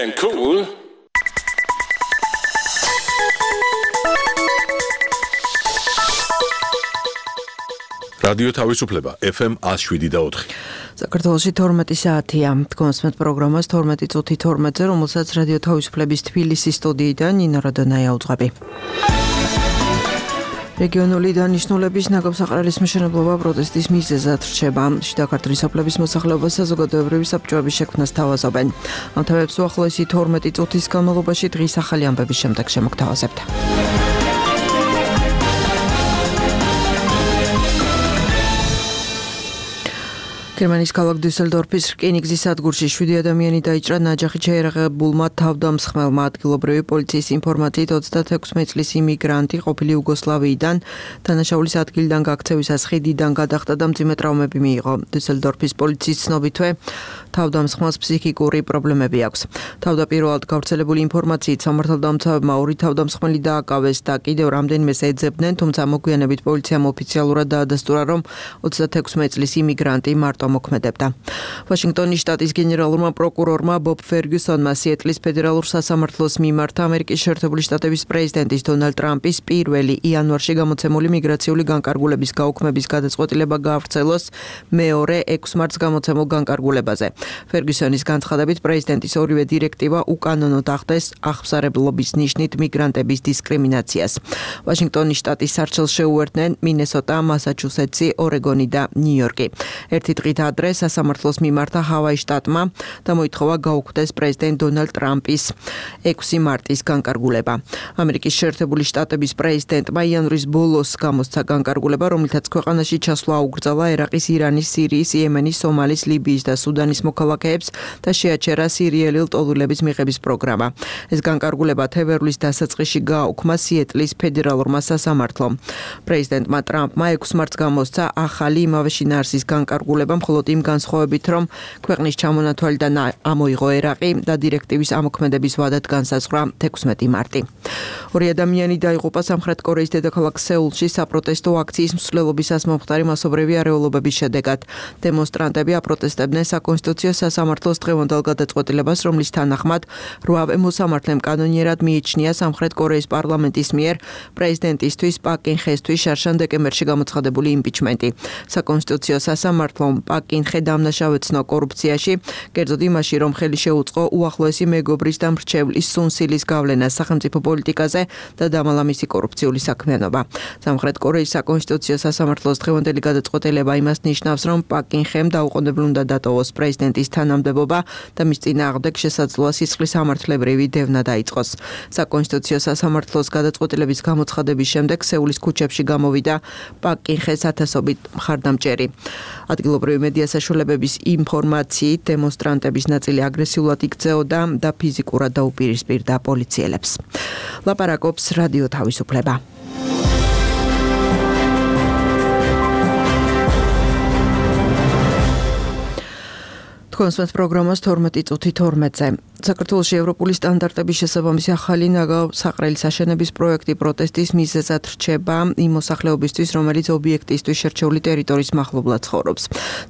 and cool. Radio თავისუფლება FM 107.4. საქართველოში 12 საათია. კონსმეთ პროგრამას 12 წუთი 12-ზე, რომელსაც რადიო თავისუფლების თბილისის სტუდიიდან ნინო რადონაია უძღვები. რეგიონული დანიშნულების ნაგავსაყრელის მშენებლობა პროტესტის მიზეზად რჩება. შიდა ქართლის სოფლების მოსახლეობას საზოგადოებრივი საბჭოების შექმნას თავაზობენ. ამ თემებს უახლოესი 12 წუთის განმავლობაში დღის ახალი ამბების შემდეგ შემოგთავაზებთ. გერმანიის ქალაქ დუსელდორფის რკინიგზის სადგურში 7 ადამიანი დაიჭრა ნაჯახით შეერაღებულმა თავდამსხმელმა. ადგილობრივი პოლიციის ინფორმაციით 36 წლის იმიგრანტი ყოფილი იუგოსლავიიდან დანაშაულის ადგილიდან გაქცევისას ხიდიდან გადახტა და მძიმე ტრავმები მიიღო. დუსელდორფის პოლიციის ცნობითვე თავდამსხმელს ფსიქიკური პრობლემები აქვს. თავდაპირველად გავრცელებული ინფორმაციით სამართალდამცავებმა 2 თავდამსხმელი დააკავეს და კიდევ რამდენიმეს ეძებდნენ, თუმცა მოგვიანებით პოლიციამ ოფიციალურად დაადასტურა, რომ 36 წლის იმიგრანტი მარტო მოქმედებდა. ვაშინგტონის შტატის გენერალურმა პროკურორმა ბობ ფერგიუსონმა სიეტლის ფედერალურ სასამართლოს მიმართ ამერიკის შეერთებული შტატების პრეზიდენტის დონალდ ტრამპის 1 იანვარში გამოცემული მიგრაციული განკარგულების გაუქმების გადაწყვეტილება გაავრცელოს მეორე 6 მარტს გამოცემულ განკარგულებაზე. ფერგიუსონის განცხადებით პრეზიდენტის ორივე დირექტივა უკანონოდ ახდენს აღსარებლობის ნიშნით მიგრანტების დისკრიმინაციას. ვაშინგტონის შტატის სარჩელს შეუერთდნენ მინესოტა, მასაჩუსეტსი, ორეგონი და ნიუ-იორკი. ერთი დღით ადრე სასამართლოს მიმართა ჰავაის შტატმა და მოითხოვა გაუქმდეს პრეზიდენტ დონალდ ტრამპის 6 მარტის განკარგულება. ამერიკის შეერთებული შტატების პრეზიდენტმა იანვრის ბოლოს გამოსცა განკარგულება, რომლითაც ქვეყანაში ჩასვლა აუგრძალა ერაყის, ირანის, სირიის, იემენის, სომალის, ლიბიის და სუდანის მოქალაქეებს და შეაჩერა სირიელი ლტოლვილების მიღების პროგრამა. ეს განკარგულება თებერვლის დასაწყისში გააუქმა სიეტლის ფედერალურმა სასამართლომ. პრეზიდენტმა ტრამპმა 6 მარტს გამოსცა ახალი იმავე შინაარსის განკარგულება, მხოლოდ იმ განსხვავებით, რომ ქვეყნის ჩამონათვალიდან ამოიღო ერაყი და დირექტივის ამოქმედების ვადად განსაზღვრა 16 მარტი. 2 ადამიანი დაიღუპა სამხრეთ კორეის დედაქალაქ სეულში საპროტესტო აქციის მსვლელობისას მომხდარი მასობრივი არეულობების შედეგად. დემონსტრანტები აპროტესტებდნენ საკონსტიტუციო სასამართლოს დღევანდელ გადაწყვეტილებას, რომლის თანახმად 8 მოსამართლემ კანონიერად მიიჩნია სამხრეთ კორეის პარლამენტის მიერ პრეზიდენტისთვის პაკ კინ ხესთვის შარშან დეკემბერში გამოცხადებული იმპიჩმენტი. საკონსტიტუციო სასამართლომ პაკ კინ ხე დამნაშავეცნო კორუფციაში, კერძოდ იმაში, რომ ხელი შეუწყო უახლოესი მეგობრის და მრჩევლის სუნსილის გავლენას სახელმწიფო პოლიტიკაზე და დამალა მისი კორუფციული საქმიანობა. სამხრეთ კორეის საკონსტიტუციო სასამართლოს დღევანდელი გადაწყვეტილება იმას ნიშნავს, რომ პაკ კინ ხემ დაუყოვნებლივ უნდა დატოვოს პრეზიდენტის თანამდებობა და მის წინააღმდეგ შესაძლოა სისხლის სამართლებრივი დევნა დაიწყოს. საკონსტიტუციო სასამართლოს გადაწყვეტილების გამოცხადების შემდეგ სეულის ქუჩებში გამოვიდა პაკ კინ ხეს ათასობით მხარდამჭერი. ადგილობრივი მედია საშუალებების ინფორმაციით დემონსტრანტების ნაწილი აგრესიულად იქცეოდა და ფიზიკურად დაუპირისპირდა პოლიციელებს. ლაპარაკობს რადიო თავისუფლება. კონსმეთ პროგრამას 12 წუთი 12-ზე. საქართველოში ევროპული სტანდარტების შესაბამისი ახალი ნაგავსაყრელის აშენების პროექტი პროტესტის მიზეზად რჩება იმ მოსახლეობისთვის, რომელიც ობიექტისთვის შერჩეული ტერიტორიის მახლობლად ცხოვრობს.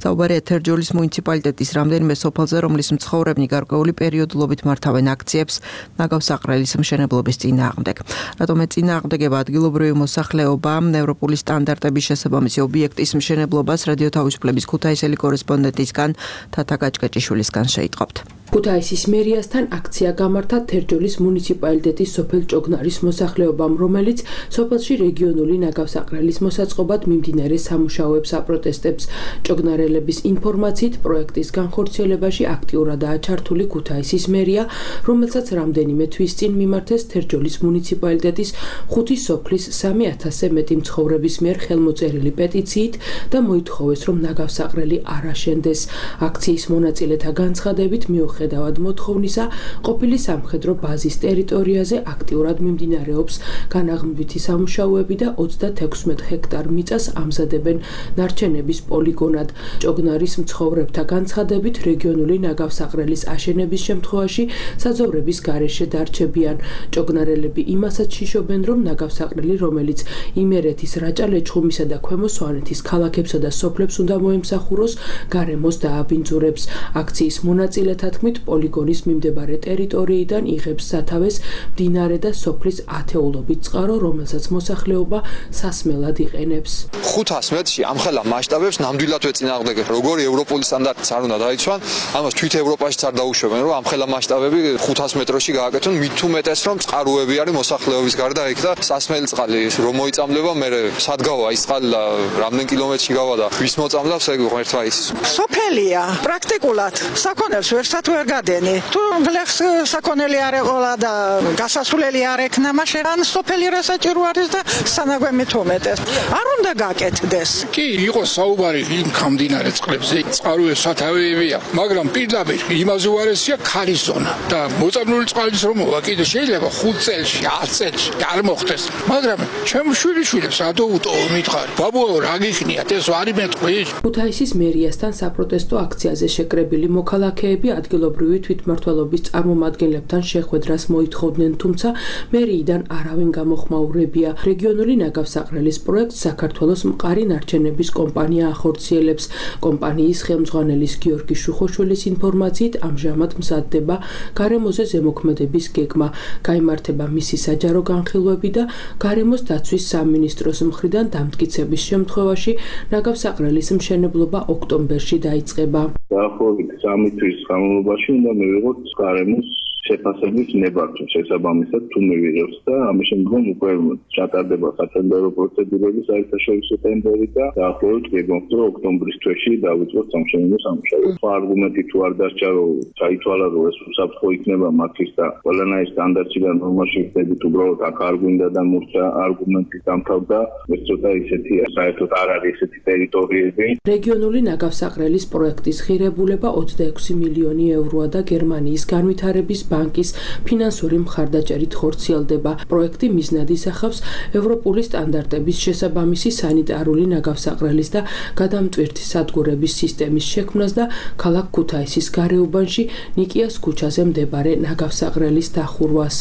საუბარია თერჯოლის მუნიციპალიტეტის რამდენიმე სოფელზე, რომლის მცხოვრებნი გარკვეული პერიოდულობით მართავენ აქციებს ნაგავსაყრელის მშენებლობის წინააღმდეგ. რატომ ეწინააღმდეგება ადგილობრივი მოსახლეობა ევროპული სტანდარტების შესაბამისი ობიექტის მშენებლობას რადიო თავისუფლების ქუთაისელი კორესპონდენტისგან თათა გაჭკაჭიშვილისგან შეიტყობთ. ქუთაისის მერიასთან აქცია გამართა თერჯოლის მუნიციპალიტეტის სოფელ ჭოგნარის მოსახლეობამ, რომელიც სოფელში რეგიონული ნაგავსაყრელის მოსაწყობად მიმდინარე სამუშაოებს აპროტესტებს. ჭოგნარელების ინფორმაციით პროექტის განხორციელებაში აქტიურადაა ჩართული ქუთაისის მერია, რომელსაც რამდენიმე თვის წინ მიმართეს თერჯოლის მუნიციპალიტეტის 5 სოფლის 3000-ზე მეტი მცხოვრების მიერ ხელმოწერილი პეტიციით და მოითხოვეს, რომ ნაგავსაყრელი არ აშენდეს. აქციის მონაწილეთა განცხადებით მიუხედავად მოთხოვნისა, ყოფილი სამხედრო ბაზის ტერიტორიაზე აქტიურად მიმდინარეობს განაღმვითი სამუშაოები და 36 ჰექტარ მიწას ამზადებენ ნარჩენების პოლიგონად. ჭოგნარის მცხოვრებთა განცხადებით, რეგიონული ნაგავსაყრელის აშენების შემთხვევაში საძოვრების გარეშე დარჩებიან. ჭოგნარელები იმასაც შიშობენ, რომ ნაგავსაყრელი, რომელიც იმერეთის, რაჭა-ლეჩხუმისა და ქვემო სვანეთის ქალაქებსა და სოფლებს უნდა მოემსახუროს, გარემოს დააბინძურებს. აქციის მონაწილეთა თქმით, თქმით, პოლიგონის მიმდებარე ტერიტორიიდან იღებს სათავეს მდინარე და სოფლის ათეულობით წყარო, რომელსაც მოსახლეობა სასმელად იყენებს. 500 მეტრში ამხელა მასშტაბებს ნამდვილად ვეწინააღმდეგებ. როგორი ევროპული სტანდარტიც არ უნდა დაიცვან, ამას თვით ევროპაშიც არ დაუშვებენ, რომ ამხელა მასშტაბები 500 მეტრში გააკეთონ, მით თუ მეტეს რომ წყაროები არის მოსახლეობის გარდა იქ და სასმელი წყალი რომ მოიწამლება, მე სად გავა ის წყალი და რამდენ კილომეტრში გავა და ვის მოწამლავს, ეგ ღმერთმა იცის. სოფელია პრაქტიკულად საქონელს ვერსად ვერ გადენი. თუ გლეხს საქონელი არ ეყოლა და გასასვლელი არ ექნა, მაშინ ან სოფელი რა საჭირო არის და სანაგვემით უმეტეს. არ უნდა გაკეთდეს. კი, იყო საუბარი იმ გამდინარე წყლებზე, წყაროების სათავეებია, მაგრამ პირდაპირ იმაზე უარესია ქარის ზონა და მოწამლული წყალის რომ მოვა კიდე შეიძლება 5 წელში, 10 წელში არ მოხდეს. მაგრამ ჩემ შვილიშვილებს ადოუტო მითხარ, ბაბუო რა გიქნიათ, ეს არ იმეთყვი. ქუთაისის მერიასთან საპროტესტო აქციაზე შეკრებილი მოქალაქეები ადგილობრივი თვითმმართველობის წარმომადგენლებთან შეხვედრას მოითხოვდნენ, თუმცა მერიიდან არავინ გამოხმაურებია. რეგიონული ნაგავსაყრელის პროექტს საქართველოს მყარი ნარჩენების კომპანია ახორციელებს. კომპანიის ხელმძღვანელის გიორგი შუხოშვილის ინფორმაციით ამჟამად მზადდება გარემოზე ზემოქმედების გეგმა, გაიმართება მისი საჯარო განხილვები და გარემოს დაცვის სამინისტროს მხრიდან დამტკიცების შემთხვევაში ნაგავსაყრელის მშენებლობა ოქტომბერში დაიწყება. დაახლოებით 3 თვის განმავლობაში უნდა მივიღოთ გარემოს შეფასების ნებართვა შესაბამისად თუ მივიღებს და ამის შემდგომ უკვე ჩატარდება სათენდერო პროცედურები საერთაშორისო ტენდერი და დაახლოებით გეგმობთ რომ ოქტომბრის თვეში დავიწყოთ სამშენებლო სამუშაოებს. არგუმენტი თუ არ დარჩა რომ ჩაითვალა რომ ეს უსაფრთხო იქნება მათთვის და ყველანაირ სტანდარტში და ნორმაში ვხდებით უბრალოდ აქ არ გვინდა და მურჩა არგუმენტი დამთავრდა ეს ცოტა ისეთია საერთოდ არ არის ესეთი ტერიტორიები. რეგიონული ნაგავსაყრელის პროექტის ღირებულება 26 მილიონი ევროა და გერმანიის განვითარების ბანკის ფინანსური მხარდაჭერით ხორციელდება. პროექტი მიზნად ისახავს ევროპული სტანდარტების შესაბამისი სანიტარული ნაგავსაყრელის და გადამტვირთი სადგურების სისტემის შექმნას და ქალაქ ქუთაისის გარეუბანში ნიკიას ქუჩაზე მდებარე ნაგავსაყრელის დახურვას.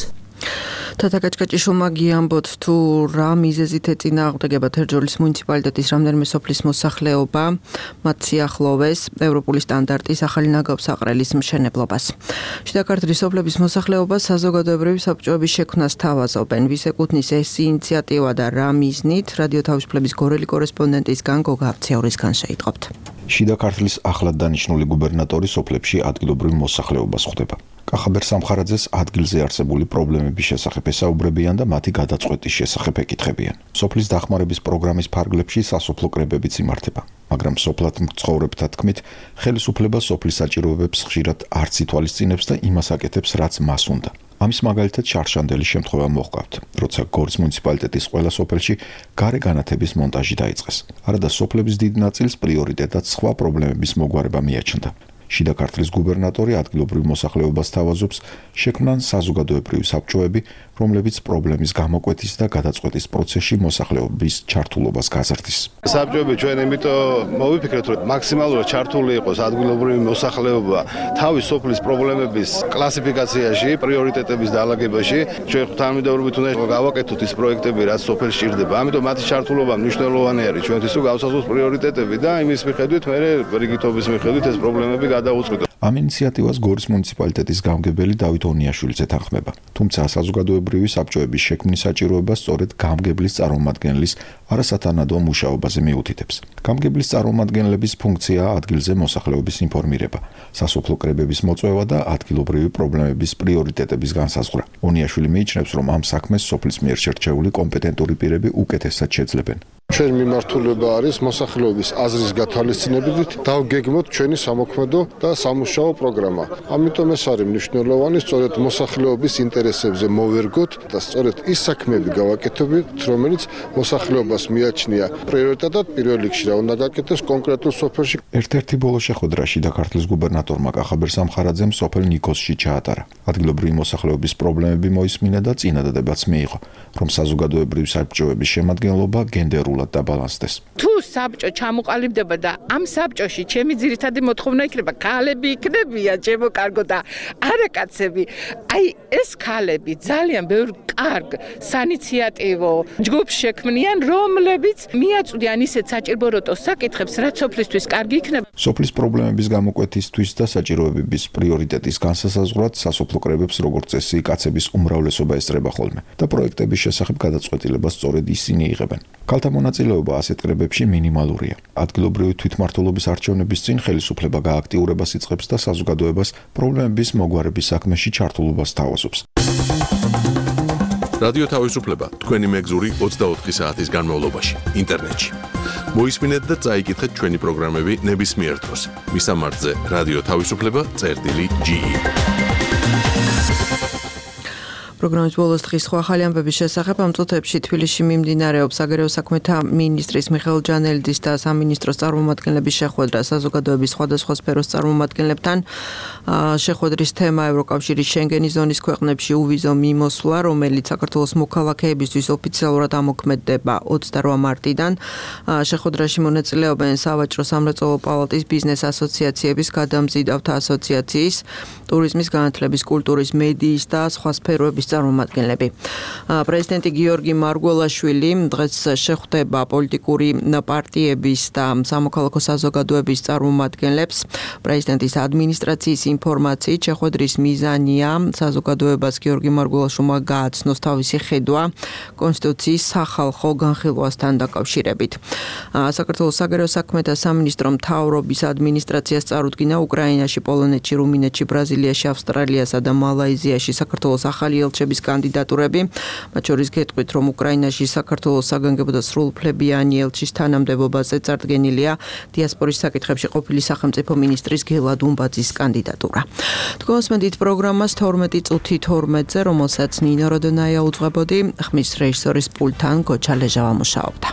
თათაკაჭკაჭიშვილმა გიამბოთ თუ რა მიზეზით ეწინააღმდეგება თერჯოლის მუნიციპალიტეტის რამდენიმე სოფლის მოსახლეობა მათ სიახლოვეს ევროპული სტანდარტის ახალი ნაგავსაყრელის მშენებლობას. შიდა ქართლის სოფლების მოსახლეობა საზოგადოებრივი საბჭოების შექმნას თავაზობენ. ვის ეკუთვნის ეს ინიციატივა და რა მიზნით? რადიო თავისუფლების გორელი კორესპონდენტისგან გოგა აბციაურისგან შეიტყობთ. შიდა ქართლის ახლად დანიშნული გუბერნატორი სოფლებში ადგილობრივ მოსახლეობას ხვდება. კახაბერ სამხარაძეს ადგილზე არსებული პრობლემების შესახებ ესაუბრებიან და მათი გადაწყვეტის შესახებ ეკითხებიან. სოფლის დახმარების პროგრამის ფარგლებში სასოფლო კრებებიც იმართება, მაგრამ სოფლად მცხოვრებთა თქმით, ხელისუფლება სოფლის საჭიროებებს ხშირად არც ითვალისწინებს და იმას აკეთებს, რაც მას უნდა. ამის მაგალითად შარშანდელი შემთხვევა მოჰყავთ, როცა გორის მუნიციპალიტეტის ყველა სოფელში გარე განათების მონტაჟი დაიწყეს. არადა სოფლების დიდ ნაწილს პრიორიტეტად სხვა პრობლემების მოგვარება მიაჩნდა. შიდა ქართლის გუბერნატორი ადგილობრივ მოსახლეობას თავაზობს შექმნან საზოგადოებრივი საბჭოები, რომლებიც პრობლემის გამოკვეთის და გადაწყვეტის პროცესში მოსახლეობის ჩართულობას გაზრდის. საბჭოები ჩვენ იმიტომ მოვიფიქრეთ, რომ მაქსიმალურად ჩართული იყოს ადგილობრივი მოსახლეობა თავის სოფლის პრობლემების კლასიფიკაციაში, პრიორიტეტების დაალაგებაში. ჩვენ თანამედროვეობით უნდა გავაკეთოთ ის პროექტები, რაც სოფელში ჭირდება. ამიტომ მათი ჩართულობა მნიშვნელოვანი არის ჩვენთვის, თუ გავსაზღვროთ პრიორიტეტები და იმის მიხედვით მე რიგითობის მიხედვით ეს პრობლემები გადაუწყვეტ. ამ ინიციატივას გორის მუნიციპალიტეტის გამგებელი დავით ონიაშვილიც ეთანხმება. თუმცა საზოგადოებრივი საბჭოების შექმნის საჭიროება სწორედ გამგებლის წარმომადგენლის არასათანადო მუშაობაზე მიუთითებს. გამგებლის წარმომადგენლების ფუნქციაა ადგილზე მოსახლეობის ინფორმირება, სასოფლო კრებების მოწვევა და ადგილობრივი პრობლემების პრიორიტეტების განსაზღვრა. ონიაშვილი მიიჩნევს, რომ ამ საქმეს სოფლის მიერ შერჩეული კომპეტენტური პირები უკეთესად შეძლებენ. ჩვენ მიმართულება არის მოსახლეობის აზრის გათვალისწინებით დავგეგმოთ ჩვენი სამოქმედო და სამუშაო პროგრამა. ამიტომ ეს არის მნიშვნელოვანი, სწორედ მოსახლეობის ინტერესებზე მოვერგოთ და სწორედ ის საქმეები გავაკეთებთ, რომელიც მოსახლეობას მიაჩნია პრიორიტეტად პირველ რიგში რა უნდა გაკეთდეს კონკრეტულ სოფელში. ერთ-ერთი ბოლო შეხვედრა შიდა ქართლის გუბერნატორმა კახაბერ სამხარაძემ სოფელ ნიკოსში ჩაატარა. ადგილობრივი მოსახლეობის პრობლემები მოისმინა და წინადადებაც მიიღო, რომ საზოგადოებრივი საბჭოების შემადგენლობა გენდერულად დაბალანსდეს. თუ საბჭო ჩამოყალიბდება და ამ საბჭოში ჩემი ძირითადი მოთხოვნა იქნება ქალები იქნებიან ჩემო კარგო და არა კაცები. აი ეს ქალები ძალიან ბევრ კარგ საინიციატივო ჯგუფს შექმნიან, რომლებიც მიაწვდიან ისეთ საჭიროებო საკითხებს, რაც სოფლისთვის კარგი იქნება. სოფლის პრობლემების გამოკვეთისთვის და საჭიროებების პრიორიტეტის განსასაზღვრად სასოფლო კრებებს როგორც წესი კაცების უმრავლესობა ესწრება ხოლმე და პროექტების შესახებ გადაწყვეტილებას სწორედ ისინი იღებენ. ქალთა მონაწილეობა ასეთ კრებებში მინიმალურია. ადგილობრივი თვითმმართველობის არჩევნების წინ ხელისუფლება გააქტიურებას იწყებს და საზოგადოებას პრობლემების მოგვარების საქმეში ჩართულობას თავაზობს. რადიო თავისუფლება თქვენი მეგზური 24 საათის განმავლობაში ინტერნეტში. მოისმინეთ და წაიკითხეთ ჩვენი პროგრამები ნებისმიერ დროს. მისამართზე რადიო თავისუფლება.ge პროგრამის ბოლოს დღის სხვა ახალი ამბების შესახებ ამ წუთებში თბილისში მიმდინარეობს საგარეო საქმეთა მინისტრის მიხეილ ჯანელიძის და სამინისტროს წარმომადგენლების შეხვედრა საზოგადოების სხვადასხვა სფეროს წარმომადგენლებთან. შეხვედრის თემა ევროკავშირის შენგენის ზონის ქვეყნებში უვიზო მიმოსვლა, რომელიც საქართველოს მოქალაქეებისთვის ოფიციალურად ამოქმედდება 28 მარტიდან. შეხვედრაში მონაწილეობენ სავაჭრო სამრეწველო პალატის ბიზნეს ასოციაციების, გადამზიდავთა ასოციაციის, ტურიზმის, განათლების, კულტურის, მედიის და სხვა სფეროების წარმომადგენლები. პრეზიდენტი გიორგი მარგველაშვილი დღეს შეხვდება პოლიტიკური პარტიების და სამოქალაქო საზოგადოების წარმომადგენლებს. პრეზიდენტის ადმინისტრაციის ინფორმაციით შეხვედრის მიზანია საზოგადოებას გიორგი მარგველაშვილმა გააცნოს თავისი ხედვა კონსტიტუციის სახალხო განხილვასთან დაკავშირებით. საქართველოს საგარეო საქმეთა სამინისტრო მთავრობის ადმინისტრაციას წარუდგინა უკრაინაში, პოლონეთში, რუმინეთში, ბრაზილიაში, ავსტრალიასა და მალაიზიაში საქართველოს ახალი ელჩების კანდიდატურები, მათ შორის გეტყვით, რომ უკრაინაში საქართველოს საგანგებო და სრულუფლებიანი ელჩის თანამდებობაზე წარდგენილია დიასპორის საკითხებში ყოფილი სახელმწიფო მინისტრის გელა დუმბაძის კანდიდატურა. თქვენსმენდით პროგრამას 12 წუთი 12-ზე, რომელსაც ნინო როდონაია უძღვებოდი, ხმის რეჟისორის პულტთან გოჩა ლეჟავა მუშაობდა.